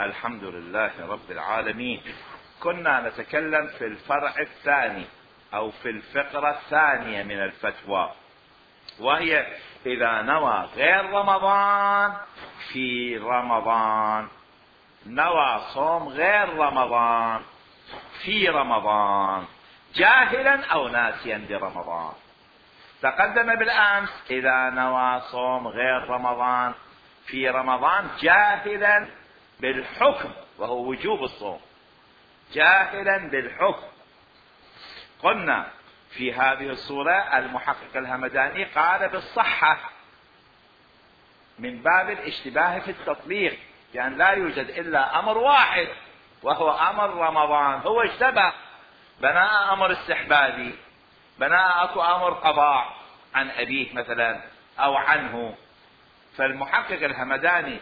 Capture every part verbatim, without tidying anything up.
الحمد لله رب العالمين. كنا نتكلم في الفرع الثاني او في الفقرة الثانية من الفتوى، وهي اذا نوى غير رمضان في رمضان، نوى صوم غير رمضان في رمضان جاهلا او ناسيا برمضان. تقدم بالامس اذا نوى صوم غير رمضان في رمضان جاهلا بالحكم وهو وجوب الصوم، جاهلا بالحكم. قلنا في هذه الصورة المحقق الهمداني قال بالصحة من باب الاشتباه في التطبيق، يعني لا يوجد الا امر واحد وهو امر رمضان، هو اشتبه بناء امر استحبابي، بناء اكو امر قضاء عن ابيه مثلا او عنه. فالمحقق الهمداني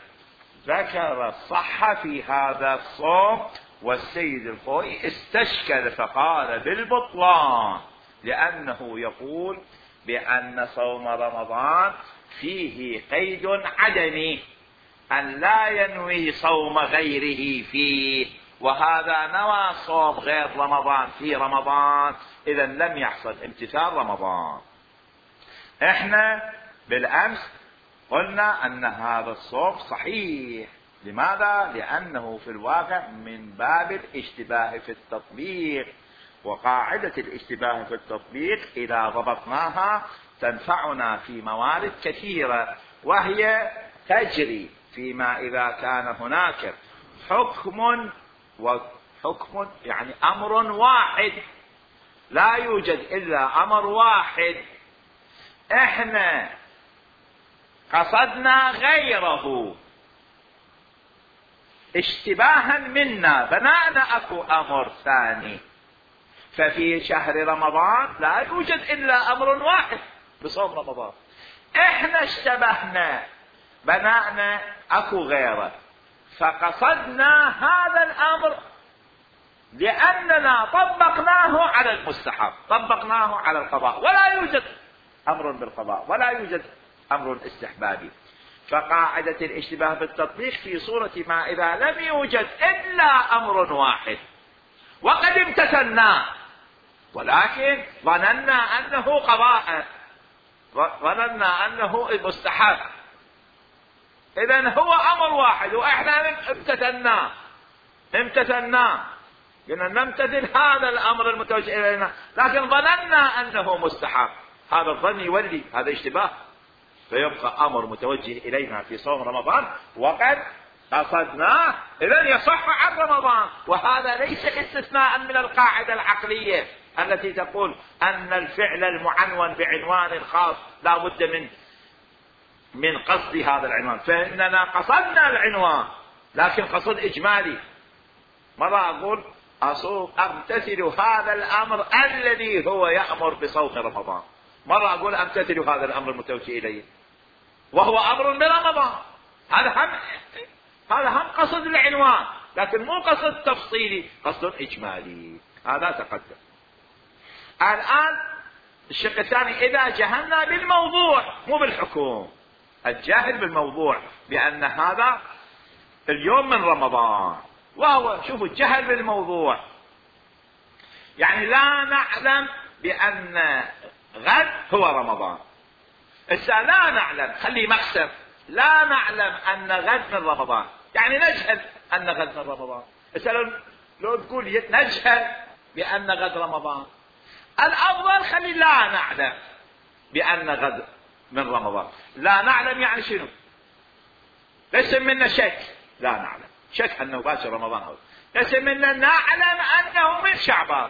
ذكر الصحة في هذا الصوم، والسيد الخوئي استشكل فقال بالبطلان، لأنه يقول بأن صوم رمضان فيه قيد عدمي أن لا ينوي صوم غيره فيه، وهذا نوى صوم غير رمضان في رمضان، إذا لم يحصل امتثال رمضان. احنا بالأمس قلنا أن هذا الصوم صحيح. لماذا؟ لأنه في الواقع من باب الاشتباه في التطبيق، وقاعدة الاشتباه في التطبيق إذا ضبطناها تنفعنا في موارد كثيرة، وهي تجري فيما إذا كان هناك حكم، وحكم يعني أمر واحد، لا يوجد إلا أمر واحد، احنا قصدنا غيره اشتباها منا، بناءنا اكو امر ثاني. ففي شهر رمضان لا يوجد الا امر واحد بصوم رمضان، احنا اشتبهنا بناءنا اكو غيره، فقصدنا هذا الامر لاننا طبقناه على المستحب، طبقناه على القضاء، ولا يوجد امر بالقضاء ولا يوجد امر استحبابي. فقاعدة الاشتباه بالتطبيق في صورة ما اذا لم يوجد الا امر واحد وقد امتثلناه، ولكن ظننا انه قضاء، ظننا انه مستحب، اذا هو امر واحد واحنا امتثلناه امتثلناه قلنا نمتثل هذا الامر المتوجه الينا، لكن ظننا انه مستحب. هذا الظن يولي هذا اشتباه، فيبقى امر متوجه الينا في صوم رمضان وقد قصدناه، اذا يصح عن رمضان. وهذا ليس استثناء من القاعدة العقلية التي تقول ان الفعل المعنون بعنوان خاص لا بد من من قصد هذا العنوان، فاننا قصدنا العنوان لكن قصد اجمالي. مرة اقول اصوم امتثل هذا الامر الذي هو يأمر بصوم رمضان، مرة اقول امتثل هذا الامر المتوجه اليه وهو امر برمضان، هذا هم هذا هم قصد العنوان لكن مو قصد تفصيلي، قصد اجمالي. هذا تقدم. الان الشق الثاني اذا جهلنا بالموضوع مو بالحكم، الجاهل بالموضوع بان هذا اليوم من رمضان، وهو شوفوا الجهل بالموضوع يعني لا نعلم بان غد هو رمضان، إذا لا نعلم خلي مقسم، لا نعلم أن غد من رمضان يعني نجهل أن غد من رمضان. إذا لو, لو تقول نجهل بأن غد رمضان، الأفضل خلي لا نعلم بأن غد من رمضان. لا نعلم يعني شنو؟ ليس منا شك، لا نعلم شك أنه باكر رمضان، هو ليس منا نعلم أنه من شعبان،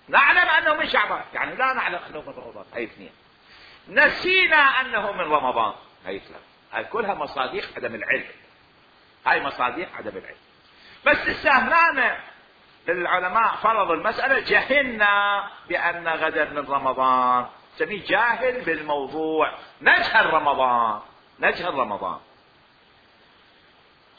نعلم أنه من شعبان يعني لا نعلم أنه من رمضان، هاي اثنين. نسينا أنه من رمضان، هاي ثلاثة. هاي كلها مصادق عدم العلم، هاي مصادق عدم العلم. بس استهلانا العلماء فرضوا المسألة جهلنا بأن غدا من رمضان، سميه جاهل بالموضوع، نجهل رمضان نجهل رمضان.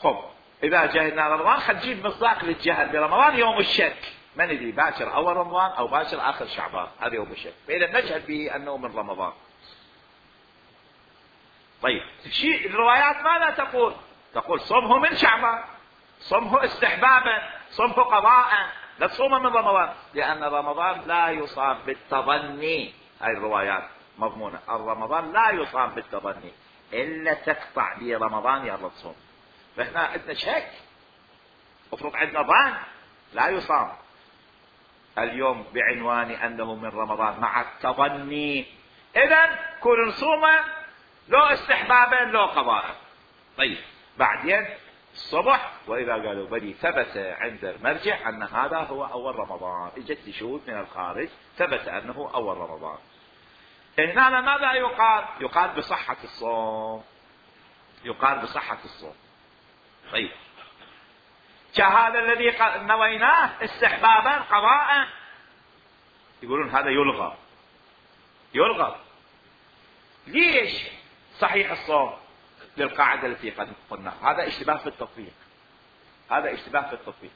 خب إذا جهلنا رمضان خل نجيب مصداق للجهل برمضان يوم الشك، ما ندري باكر أول رمضان أو باكر آخر شعبان، هذا يوم الشك، فإذا نجهل به أنه من رمضان. طيب شيء الروايات ماذا تقول؟ تقول صومه من شعبان، صمه استحبابا، صمه قضاء، لا تصوم من رمضان، لأن رمضان لا يصام بالتظني. هاي الروايات مضمونة، رمضان لا يصام بالتظني إلا تقطع لي رمضان يلا تصوم. فإحنا عندنا شك، افرض عندنا ظن لا يصام اليوم بعنوان أنه من رمضان مع التظني، إذن كل نصومه لو استحبابا لو قضاء. طيب بعدين الصبح وإذا قالوا بلي ثبت عند المرجع أن هذا هو أول رمضان، اجت شهود من الخارج ثبت أنه أول رمضان، هنا ماذا يقال؟ يقال بصحة الصوم، يقال بصحة الصوم. طيب كهذا الذي نويناه استحبابا قضاء، يقولون هذا يلغى، يلغى. ليش؟ صحيح الصوم للقاعدة التي قد قلنا، هذا اشتباه في التطبيق، هذا اشتباه في التطبيق،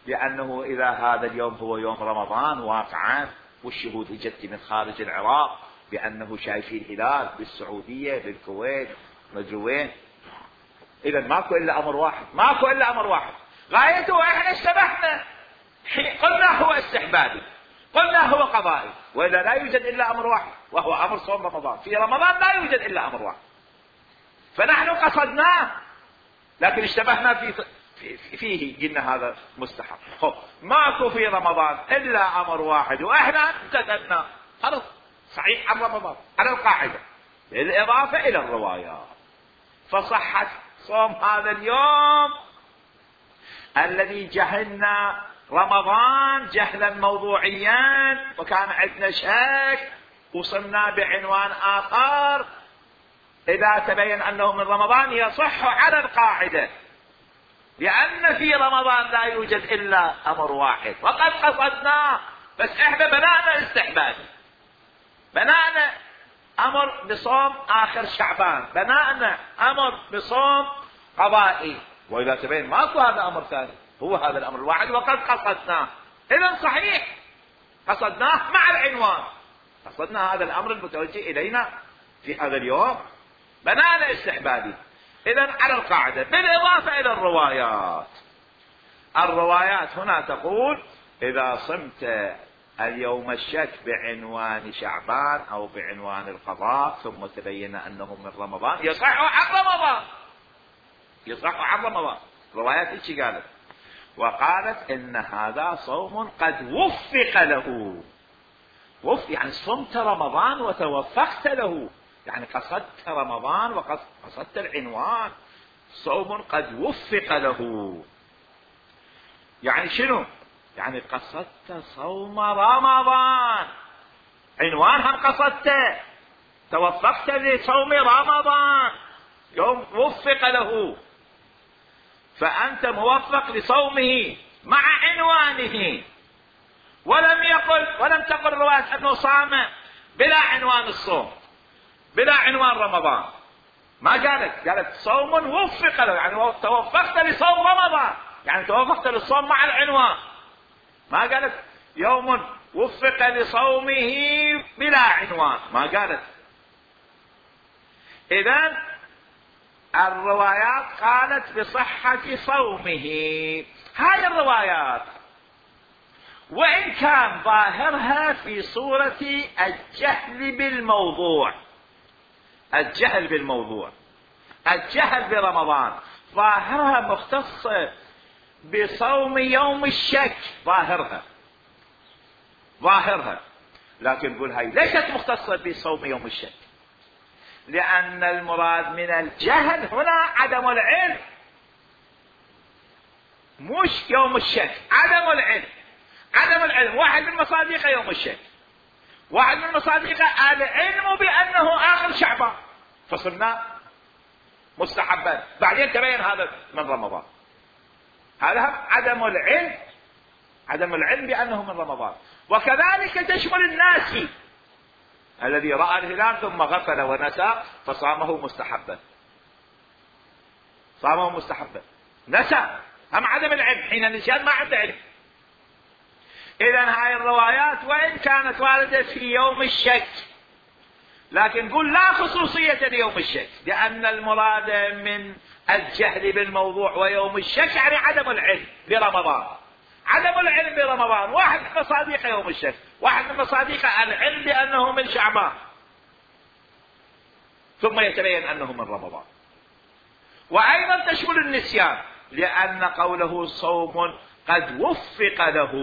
لأنه إذا هذا اليوم هو يوم رمضان واقعا والشهود اجت من خارج العراق بأنه شايفين الهلال بالسعودية بالكويت مجروين، إذا ماكو إلا أمر واحد، ماكو إلا أمر واحد، غايته إحنا اشتبهنا، قلنا هو استحبابي، قلنا هو قضائي، وإذا لا يوجد إلا أمر واحد وهو أمر صوم رمضان، في رمضان لا يوجد إلا أمر واحد، فنحن قصدناه لكن اشتبهنا في فيه قلنا هذا مستحب. خب ماكو في رمضان إلا أمر واحد وإحنا امتثلنا، خلاص صحيح عن رمضان على القاعدة بالإضافة إلى الروايات. فصحت صوم هذا اليوم الذي جهلنا رمضان جهلا موضوعيا وكان عندنا شك، وصلنا بعنوان آخر إذا تبين أنه من رمضان يصح على القاعدة، لأن في رمضان لا يوجد إلا أمر واحد وقد قصدناه، بس إحنا بنانا استحبابي، بنانا أمر بصوم آخر شعبان، بنانا أمر بصوم قضائي، وإذا تبين ماكو هذا أمر ثاني هو هذا الأمر الواحد وقد قصدناه، إذن صحيح قصدناه مع العنوان، قصدنا هذا الأمر المتوجه إلينا في هذا اليوم، بنانا استحبابي. إذن على القاعدة بالإضافة إلى الروايات، الروايات هنا تقول إذا صمت اليوم الشك بعنوان شعبان أو بعنوان القضاء ثم تبين أنه من رمضان يصح عن رمضان، يصح عن رمضان. روايات إيش قالت؟ وقالت إن هذا صوم قد وفق له، وفق يعني صمت رمضان وتوفقت له، يعني قصدت رمضان وقصدت العنوان، صوم قد وفق له. يعني شنو؟ يعني قصدت صوم رمضان، عنوان هم قصدته، توفقت لصوم رمضان يوم وفق له، فأنت موفق لصومه مع عنوانه. ولم يقل ولم تقل رواية أنه صام بلا عنوان الصوم بلا عنوان رمضان، ما قالت، قالت صوم وفق له، يعني توفقت لصوم رمضان، يعني توفقت للصوم مع العنوان، ما قالت يوم وفق لصومه بلا عنوان، ما قالت. إذن الروايات قالت بصحة صومه، هذه الروايات وإن كان ظاهرها في صورة الجهل بالموضوع، الجهل بالموضوع، الجهل برمضان، ظاهرها مختصة بصوم يوم الشك، ظاهرها ظاهرها لكن نقول هاي ليست مختصة بصوم يوم الشك، لأن المراد من الجهل هنا عدم العلم، مش يوم الشك، عدم العلم، عدم العلم. واحد من مصادقه يوم الشك، واحد من مصادقه العلم بأنه آخر شعبان فصلنا مستحبا، بعدين تبين هذا من رمضان، هذا عدم العلم، عدم العلم بأنه من رمضان. وكذلك تشمل الناس الذي رأى الهلال ثم غفل ونسى فصامه مستحبا، صامه مستحبا، نسى، هم عدم العلم، حين النسيان ما عنده علم. إذن هاي الروايات وإن كانت واردة في يوم الشك لكن نقول لا خصوصية ليوم الشك، لأن المراد من الجهل بالموضوع ويوم الشك يعني عدم العلم برمضان. عدم العلم برمضان، واحد من مصادق يوم الشك، واحد من مصادق العلم بأنه من شعبان ثم يتبين أنه من رمضان. وأيضا تشمل النسيان، لأن قوله صوم قد وفق له،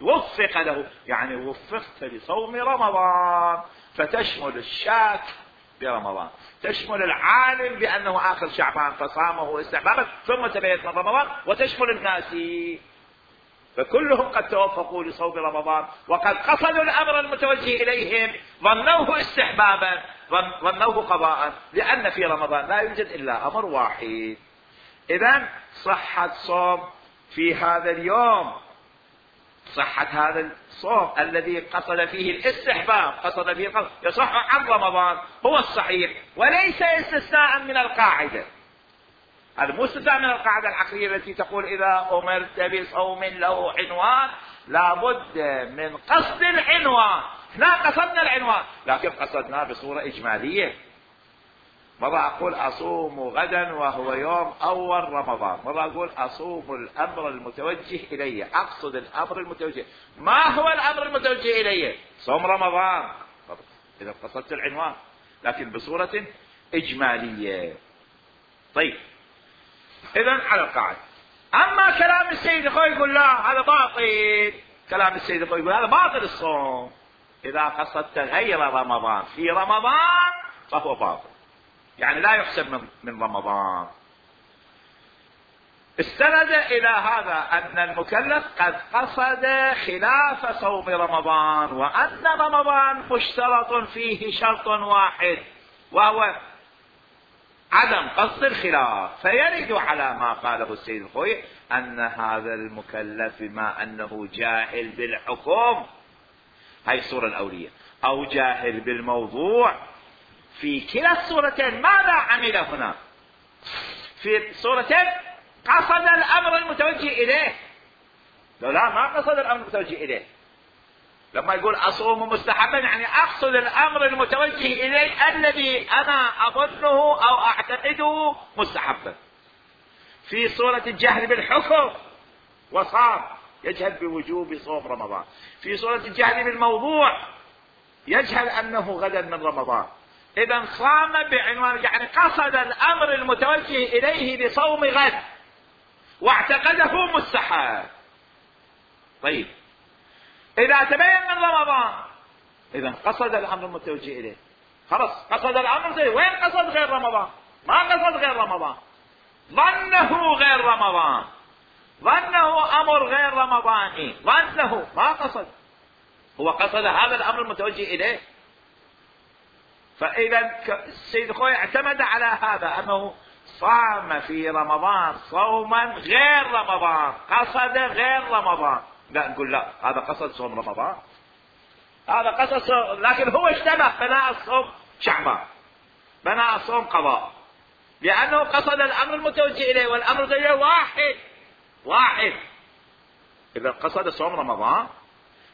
وفق له يعني وفقت لصوم رمضان، فتشمل الشاك برمضان، تشمل العالم بأنه آخر شعبان فصامه استحبابا ثم تبين من رمضان، وتشمل الناسي، فكلهم قد توفقوا لصوم رمضان وقد قصدوا الأمر المتوجه إليهم، ظنوه استحبابا، ظنوه قضاء، لأن في رمضان لا يوجد إلا أمر واحد. إذن صحة صوم في هذا اليوم، صحة هذا الصوم الذي قصد فيه الاستحباب، قصد فيه القصد، يصح عن رمضان، هو الصحيح، وليس استثناء من القاعدة. هذا مو استثناء من القاعدة العقلية التي تقول إذا أمرت بصوم له عنوان لابد من قصد العنوان. لا قصدنا العنوان، لكن قصدناه بصورة إجمالية. مرة أقول أصوم غدا وهو يوم أول رمضان، مرة أقول أصوم الأمر المتوجه إلي، أقصد الأمر المتوجه. ما هو الأمر المتوجه إلي؟ صوم رمضان، إذا قصدت العنوان، لكن بصورة إجمالية. طيب، إذن على القاعدة. أما كلام السيد الخوي يقول لا هذا باطل، كلام السيد الخوي يقول هذا باطل الصوم، إذا قصدت غير رمضان في رمضان فهو باطل، يعني لا يحسب من, من رمضان. استند إلى هذا أن المكلف قد قصد خلاف صوم رمضان، وأن رمضان مشترط فيه شرط واحد وهو عدم قصد الخلاف، فيرد على ما قاله السيد الخوي أن هذا المكلف بما أنه جاهل بالحكم، هاي الصورة الأولية، أو جاهل بالموضوع، في كلا الصورتين ماذا عمل هنا؟ في الصورتين قصد الأمر المتوجه إليه، لو لا ما قصد الأمر المتوجه إليه. لما يقول أصوم مستحبا يعني أقصد الأمر المتوجه إليه الذي أنا أظنه أو أعتقده مستحبا. في صورة الجهل بالحكم وصام، يجهل بوجوب صوم رمضان. في صورة الجهل بالموضوع يجهل أنه غدا من رمضان، إذا صام بعنوان يعني قصد الأمر المتوجه إليه بصوم غد واعتقده مستحب. طيب، إذا تبين من رمضان إذا قصد الأمر المتوجه إليه، خلاص قصد الأمر زي وين قصد غير رمضان؟ ما قصد غير رمضان، ظنه غير رمضان، ظنه أمر غير رمضاني، ظنه ما قصد، هو قصد هذا الأمر المتوجه إليه. فإذا السيد خوي اعتمد على هذا أنه صام في رمضان صوما غير رمضان، قصد غير رمضان، لا نقول لا هذا قصد صوم رمضان، هذا قصد صوم، لكن هو اشتبه بناء الصوم شعبان، بناء الصوم قضاء، لأنه قصد الأمر المتوجه إليه، والأمر زي واحد واحد. إذا قصد صوم رمضان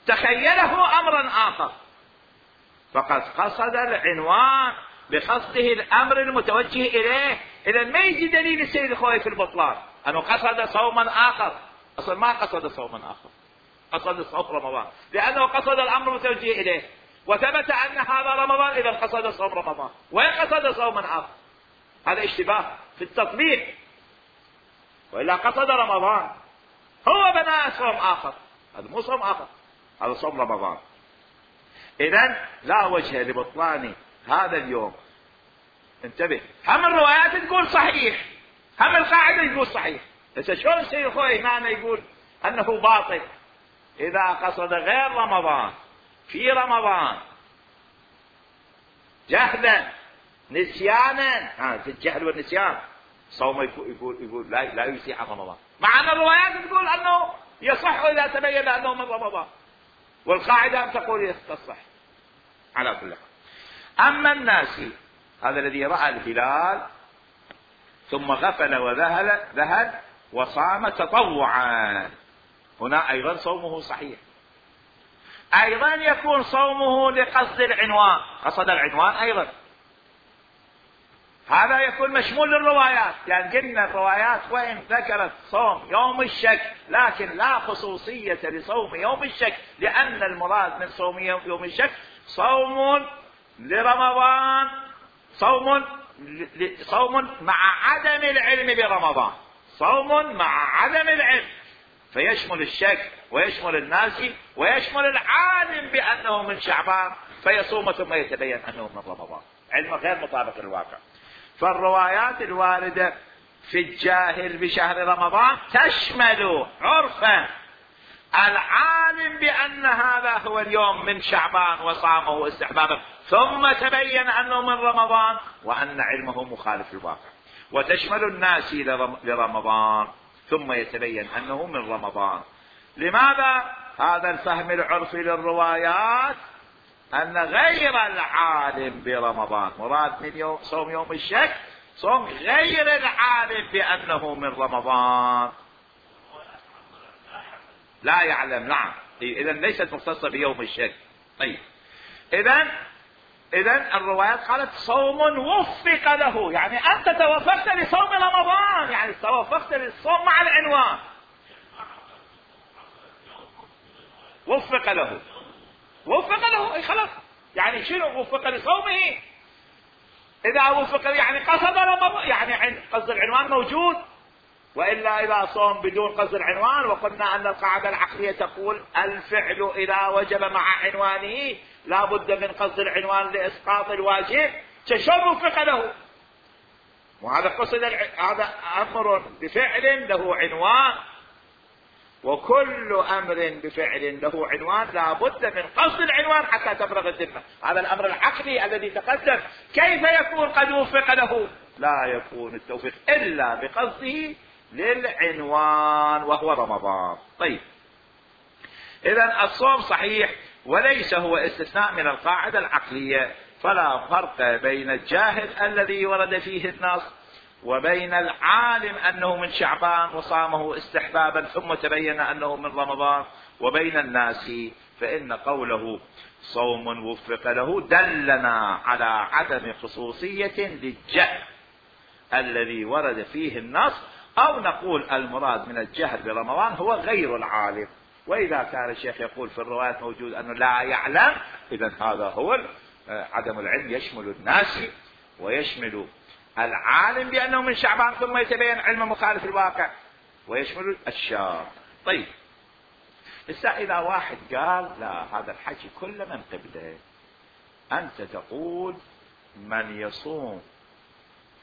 تخيله أمرا آخر، فقد قصد العنوان بقصده الأمر المتوجه إليه. إذا ما يجي دليل السيد الخوي في البطلان أنه قصد صوما آخر، أصلا ما قصد صوما آخر، قصد صوم رمضان، لأنه قصد الأمر المتوجه إليه وثبت أن هذا رمضان، إذا قصد صوم رمضان، وين قصد صوما آخر؟ هذا اشتباه في التطبيق، وإلا قصد رمضان، هو بناء صوم آخر، هذا مو صوم آخر، هذا صوم رمضان. إذن لا وجه لبطلان هذا اليوم. انتبه، هم الروايات تقول صحيح، هم القاعدة تقول صحيح، بس شلون السيد الخوي هنا يقول أنه باطل؟ إذا قصد غير رمضان في رمضان جهلا نسيانا، ها في الجهل والنسيان صوم يقول يقول, يقول لا لا يسيء عن رمضان، مع أن الروايات تقول أنه يصح إذا تبين أنه من رمضان، والقاعدة أن تقول يصح. على كل حال، أما الناسي هذا الذي رأى الهلال ثم غفل وذهل ذهل وصام تطوعا، هنا أيضا صومه صحيح. أيضا يكون صومه لقصد العنوان، قصد العنوان أيضا، هذا يكون مشمول للروايات، لأن قلنا الروايات وإن ذكرت صوم يوم الشك لكن لا خصوصية لصوم يوم الشك، لأن المراد من صوم يوم الشك صوم لرمضان، صوم صوم مع عدم العلم برمضان، صوم مع عدم العلم، فيشمل الشك ويشمل الناسي ويشمل العالم بأنه من شعبان فيصوم ثم يتبين أنه من رمضان، علم غير مطابق للواقع. فالروايات الواردة في الجاهل بشهر رمضان تشمل عرفا العالم بأن هذا هو اليوم من شعبان وصامه استحبابا ثم تبين أنه من رمضان وأن علمه مخالف للواقع، وتشمل الناسي لرمضان ثم يتبين أنه من رمضان. لماذا هذا الفهم العرفي للروايات؟ أن غير العالم برمضان مراد من يوم صوم يوم الشك صوم غير العالم بأنه من رمضان لا يعلم. نعم، إذن ليست مختصة بيوم الشك. طيب، إذن إذن الروايات قالت صوم وفق له، يعني أنت توفقت لصوم رمضان، يعني توفقت للصوم مع العنوان، وفق له، وفق له، اي خلاص، يعني شنو وفق لصومه؟ اذا وفق يعني قصد رمضان، يعني قصد العنوان موجود، والا اذا صوم بدون قصد العنوان، وقلنا ان القاعده العقليه تقول الفعل اذا وجب مع عنوانه لا بد من قصد العنوان لاسقاط الواجب، شلون وفق له؟ وهذا قصد هذا امر بفعل له عنوان، وكل امر بفعل له عنوان لا بد من قصد العنوان حتى تفرغ الذمه. هذا الامر العقلي الذي تقدم، كيف يكون قد وفق له؟ لا يكون التوفيق الا بقصده للعنوان وهو رمضان. طيب، اذا الصوم صحيح وليس هو استثناء من القاعده العقليه، فلا فرق بين الجاهل الذي ورد فيه النص وبين العالم أنه من شعبان وصامه استحبابا ثم تبين أنه من رمضان وبين الناس، فإن قوله صوم وفق له دلنا على عدم خصوصية للجهل الذي ورد فيه النص، أو نقول المراد من الجهل برمضان هو غير العالم. وإذا كان الشيخ يقول في الروايات موجود أنه لا يعلم، إذن هذا هو عدم العلم يشمل الناس ويشمل العالم بأنه من شعبان ثم يتبين علم مخالف الواقع ويشمل الشاب. طيب، إذا واحد قال لا هذا الحكي كله من قبله، أنت تقول من يصوم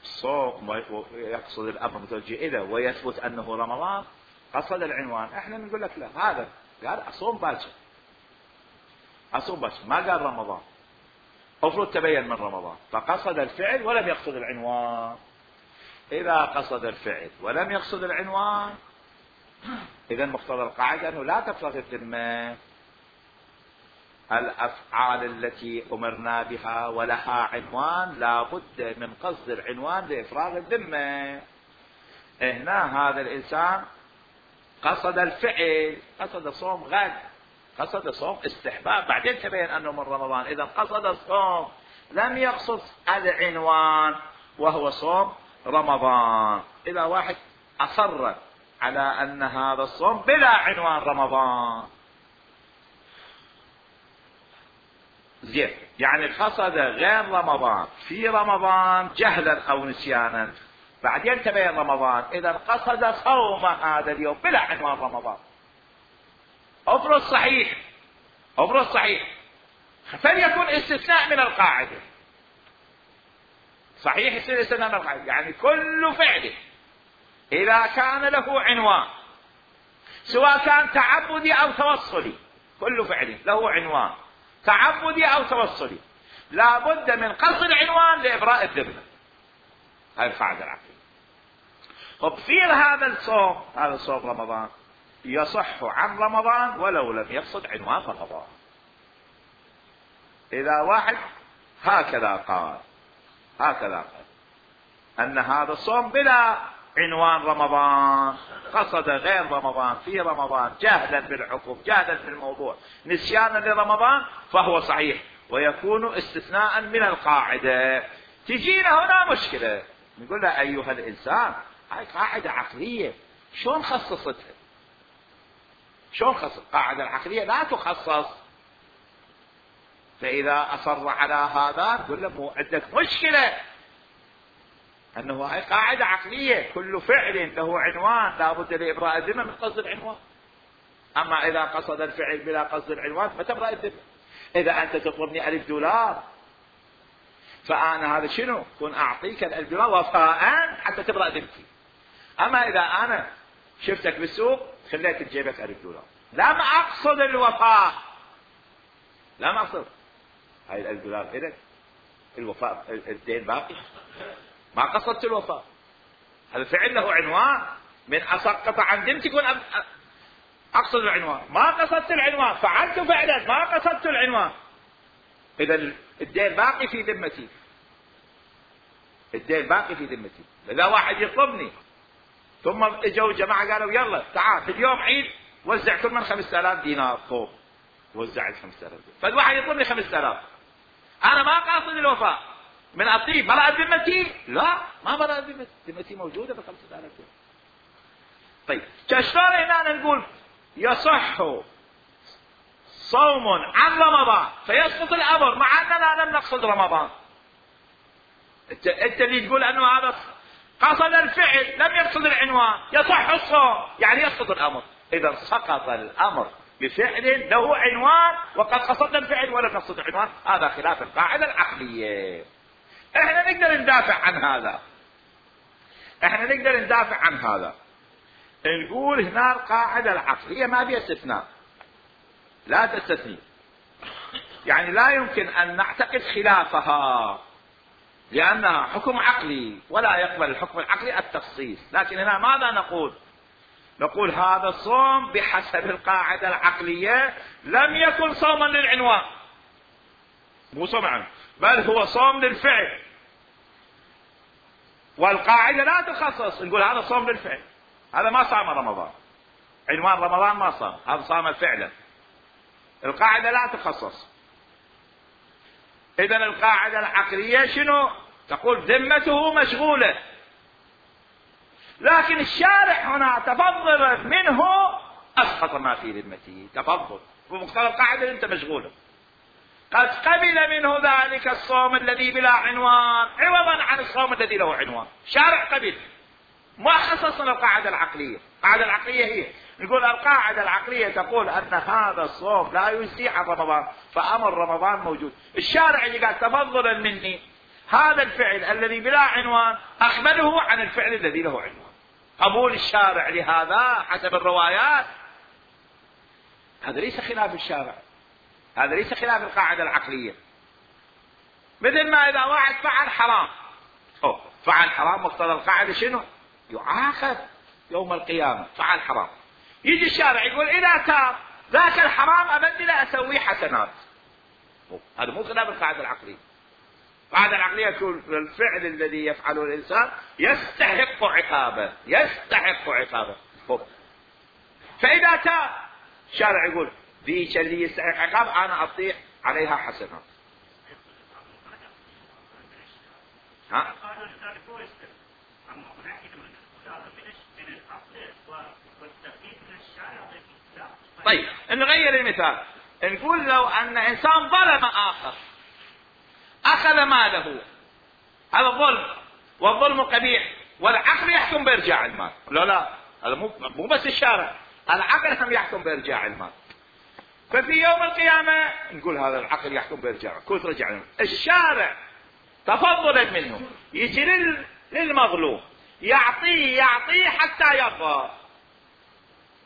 صوم يقصد الأمر متوجه إليه ويثبت أنه رمضان قصد العنوان، احنا نقول لك لا، هذا قال أصوم باكر، أصوم باكر، ما قال رمضان، المفروض تبين من رمضان فقصد الفعل ولم يقصد العنوان. إذا قصد الفعل ولم يقصد العنوان إذا مقتضى القاعدة أنه لا تفرغ الذمة، الأفعال التي أمرنا بها ولها عنوان لا بد من قصد العنوان لإفراغ الذمة. هنا هذا الإنسان قصد الفعل، قصد صوم غد، قصد صوم استحباب، بعدين تبين أنه من رمضان، إذا قصد الصوم لم يقصد العنوان وهو صوم رمضان. إذا واحد أصر على أن هذا الصوم بلا عنوان رمضان، زين، يعني قصد غير رمضان في رمضان جهلا أو نسيانا، بعدين تبين رمضان، إذا قصد صوم هذا اليوم بلا عنوان رمضان، افرض صحيح، افرض صحيح، فليكن استثناء من القاعدة، صحيح يصير استثناء من القاعدة، يعني كل فعل إذا كان له عنوان سواء كان تعبدي أو توصلي، كل فعل له عنوان تعبدي أو توصلي لا بد من قصد العنوان لإبراء الذمة. هذه القاعدة العقلية. طب في هذا الصوم، هذا الصوم رمضان يصح عن رمضان ولو لم يقصد عنوان رمضان. إذا واحد هكذا قال، هكذا قال أن هذا الصوم بلا عنوان رمضان، قصد غير رمضان في رمضان جهلا بالحكم جهلا بالموضوع نسيانا لرمضان فهو صحيح ويكون استثناء من القاعدة. تجينا هنا مشكلة نقول له أيها الإنسان هاي قاعدة عقلية شلون خصصتها؟ شلون خصص؟ القاعدة العقلية لا تخصص. فإذا أصر على هذا نقول له مو عندك مشكلة أنه هاي قاعدة عقلية كل فعل له عنوان لا بد لإبراء الذمة من قصد العنوان. أما إذا قصد الفعل بلا قصد العنوان فتبرأ الذمة. إذا أنت تطلبني ألف دولار فأنا هذا شنو؟ كن أعطيك الألف دولار وفاء حتى تبرأ ذمتي. أما إذا أنا شفتك بالسوق خليت تجيبك ألف دولار لم أقصد الوفاء، لم أقصد هاي الألف دولار إلك الوفاء الدين باقي ما قصدت الوفاء. هذا فعل له عنوان من أسقط عن ذمتي كن أقصد العنوان ما قصدت العنوان فعلت فعلا ما قصدت العنوان إذا الدين باقي في ذمتي. الدين باقي في ذمتي. إذا واحد يطلبني ثم اجوا جماعة قالوا يلا تعال اليوم عيد وزع كل من خمسة آلاف دينار فوق وزعت خمسة آلاف دينار فالواحد يطلبني خمسة آلاف أنا ما قاصد الوفاء من أطيب برأت ذمتي؟ لا ما برأت ذمتي ذمتي موجودة بخمسة آلاف دينار. طيب كشلون هنا نقول يصح صوم عن رمضان فيسقط الأمر مع أننا لم نقصد رمضان. انت, انت اللي تقول أنه هذا قصد الفعل لم يقصد العنوان يصح الصوم يعني يسقط الأمر. إذا سقط الأمر بفعل له عنوان وقد قصدنا الفعل ولم نقصد العنوان هذا خلاف القاعدة العقلية. احنا نقدر ندافع عن هذا احنا نقدر ندافع عن هذا نقول هنا القاعدة العقلية ما فيها استثناء لا تستثني يعني لا يمكن أن نعتقد خلافها لأنها حكم عقلي ولا يقبل الحكم العقلي التخصيص. لكن هنا ماذا نقول؟ نقول هذا الصوم بحسب القاعدة العقلية لم يكن صوما للعنوان مو صوم عنه بل هو صوم للفعل والقاعدة لا تخصص نقول هذا صوم للفعل هذا ما صام رمضان عنوان رمضان ما صام هذا صام فعلا. القاعدة لا تخصص. إذن القاعدة العقلية شنو؟ تقول ذمته مشغولة لكن الشارع هنا تفضل منه أسقط ما في ذمته تفضل بمقتضى القاعدة أنت مشغولة قد قبل منه ذلك الصوم الذي بلا عنوان عوضا عن الصوم الذي له عنوان. شارع قبل ما خصصنا القاعدة العقلية. القاعدة العقلية هي نقول القاعدة العقلية تقول أن هذا الصوم لا يجزي عن رمضان فأمر رمضان موجود. الشارع اللي قال تفضلا مني هذا الفعل الذي بلا عنوان أقبله عن الفعل الذي له عنوان. قبول الشارع لهذا حسب الروايات هذا ليس خلاف الشارع هذا ليس خلاف القاعدة العقلية. مثل ما إذا واحد فعل حرام أوه. فعل حرام مقتضى القاعدة شنو؟ يعاقب يوم القيامة فعل حرام. يجي الشارع يقول إذا تاب ذاك الحرام أبدل أسوي حسنات. هذا مو خلاف القاعدة العقلية. القاعدة العقلية تقول الفعل الذي يفعله الإنسان يستحق عقابه يستحق عقابه. فإذا تاب الشارع يقول ذيك اللي يستحق عقاب أنا أعطيه عليها حسنات. ها؟ طيب نغير المثال نقول لو أن إنسان ظلم آخر أخذ ماله هذا ظلم والظلم قبيح والعقل يحكم بإرجاع المال. لا لا هذا مو مو بس الشارع العقل هم يحكم بإرجاع المال. ففي يوم القيامة نقول هذا العقل يحكم بإرجاعه كل رجع المال. الشارع تفضلا منه يجي للمظلوم يعطيه يعطيه حتى يرضى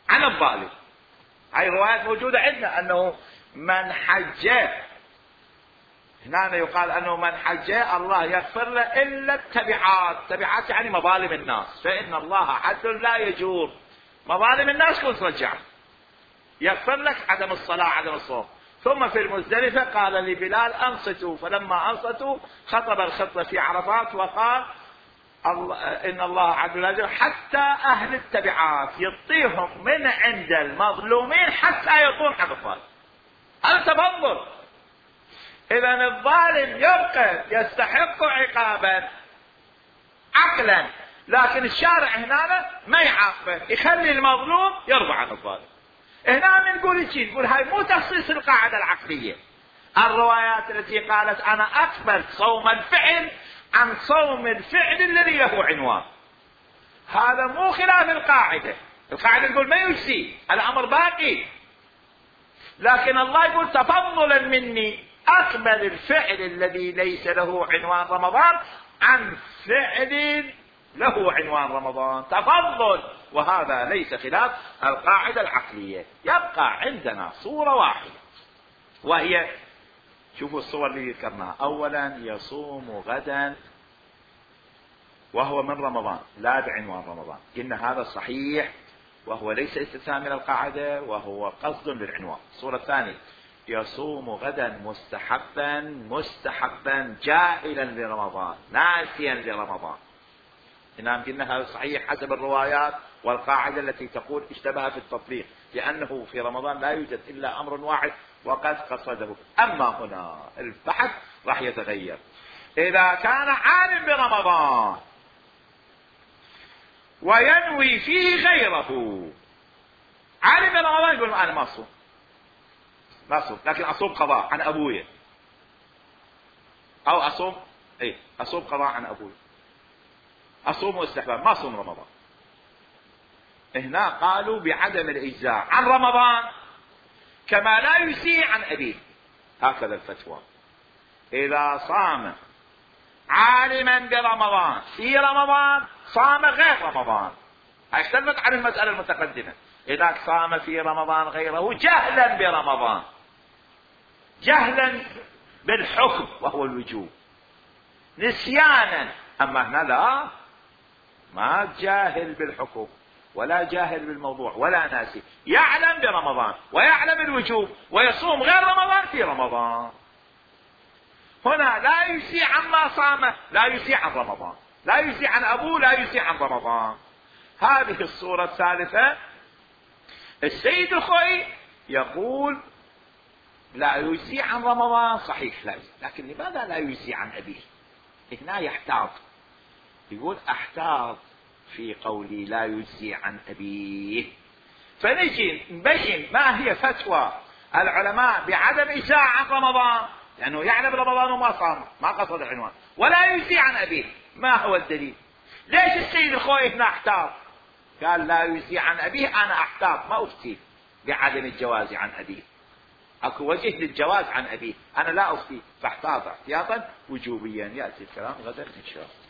عن الظالم. هاي روايات موجودة عندنا أنه من حج هنا يقال أنه من حج الله يغفر له إلا التبعات. تبعات يعني مظالم الناس فإن الله عدل لا يجور. مظالم الناس كل ترجع يغفر لك عدم الصلاة عدم الصوم. ثم في المزدلفة قال لبلال أنصتوا فلما أنصتوا خطب الخطبة في عرفات وقال الله إن الله عدل أجر حتى أهل التبعات يعطيهم من عند المظلومين حتى يعطون حق الظالم. هذا تفضل. إذا الظالم يبقى يستحق عقابا عقلا، لكن الشارع هنا ما يعاقبه، يخلي المظلوم يرضى عن الظالم. هنا نقول شيء، نقول هاي مو تخصيص القاعدة العقلية. الروايات التي قالت أنا أقبل صوم الفعل عن صوم الفعل الذي له عنوان، هذا مو خلاف القاعدة. القاعدة تقول ما يجزي، الأمر باقي، لكن الله يقول تفضلا مني أقبل الفعل الذي ليس له عنوان رمضان عن فعل له عنوان رمضان، تفضل، وهذا ليس خلاف القاعدة العقلية. يبقى عندنا صورة واحدة، وهي شوفوا الصور اللي ذكرناها. أولا يصوم غدا وهو من رمضان لا بعنوان رمضان، قلنا هذا صحيح وهو ليس استثناء من القاعدة وهو قصد للعنوان. الصورة الثانية يصوم غدا مستحبا مستحبا جاهلا لرمضان ناسيا لرمضان، نعم قلنا هذا صحيح حسب الروايات والقاعدة التي تقول اشتبه في التطبيق، لأنه في رمضان لا يوجد إلا أمر واحد وقد قصده. أما هنا البحث راح يتغير. إذا كان عالم برمضان وينوي فيه غيره، عالم برمضان يقول أنا ما أصوم ما أصوم لكن أصوم قضاء عن أبويا، أو أصوم إيه أصوم قضاء عن أبويا، أصوم استحباب ما أصوم رمضان. هنا قالوا بعدم الإجزاء عن رمضان كما لا يجزي عن أبيه، هكذا الفتوى. إذا صام عالما برمضان في رمضان صام غير رمضان، اختلفت عن المسألة المتقدمة. إذا صام في رمضان غيره جهلا برمضان، جهلا بالحكم وهو الوجوب، نسيانا، أما هنا لا، ما جاهل بالحكم ولا جاهل بالموضوع ولا ناسي، يعلم برمضان ويعلم الوجوب ويصوم غير رمضان في رمضان. هنا لا يجزي عما صامه، لا يجزي عن رمضان، لا يجزي عن أبوه، لا يجزي عن رمضان. هذه الصورة الثالثة. السيد الخوئي يقول لا يجزي عن رمضان صحيح لا يجزي، لكن لماذا لا يجزي عن أبيه؟ هنا يحتاط، يقول احتاط في قولي لا يجزي عن أبيه. فنجي نبين ما هي فتوى العلماء بعدم إجزاء عن رمضان، لأنه يعلم رمضان وما صام ما قصد العنوان، ولا يجزي عن أبيه. ما هو الدليل؟ ليش السيد الخوئي هنا احتاط؟ قال لا يجزي عن أبيه، أنا احتاط ما أفتي بعدم الجواز عن أبيه، اكو وجه للجواز عن أبيه، أنا لا أفتي، فاحتاط احتياطا وجوبيا. يأتي الكلام غدا إن شاء الله.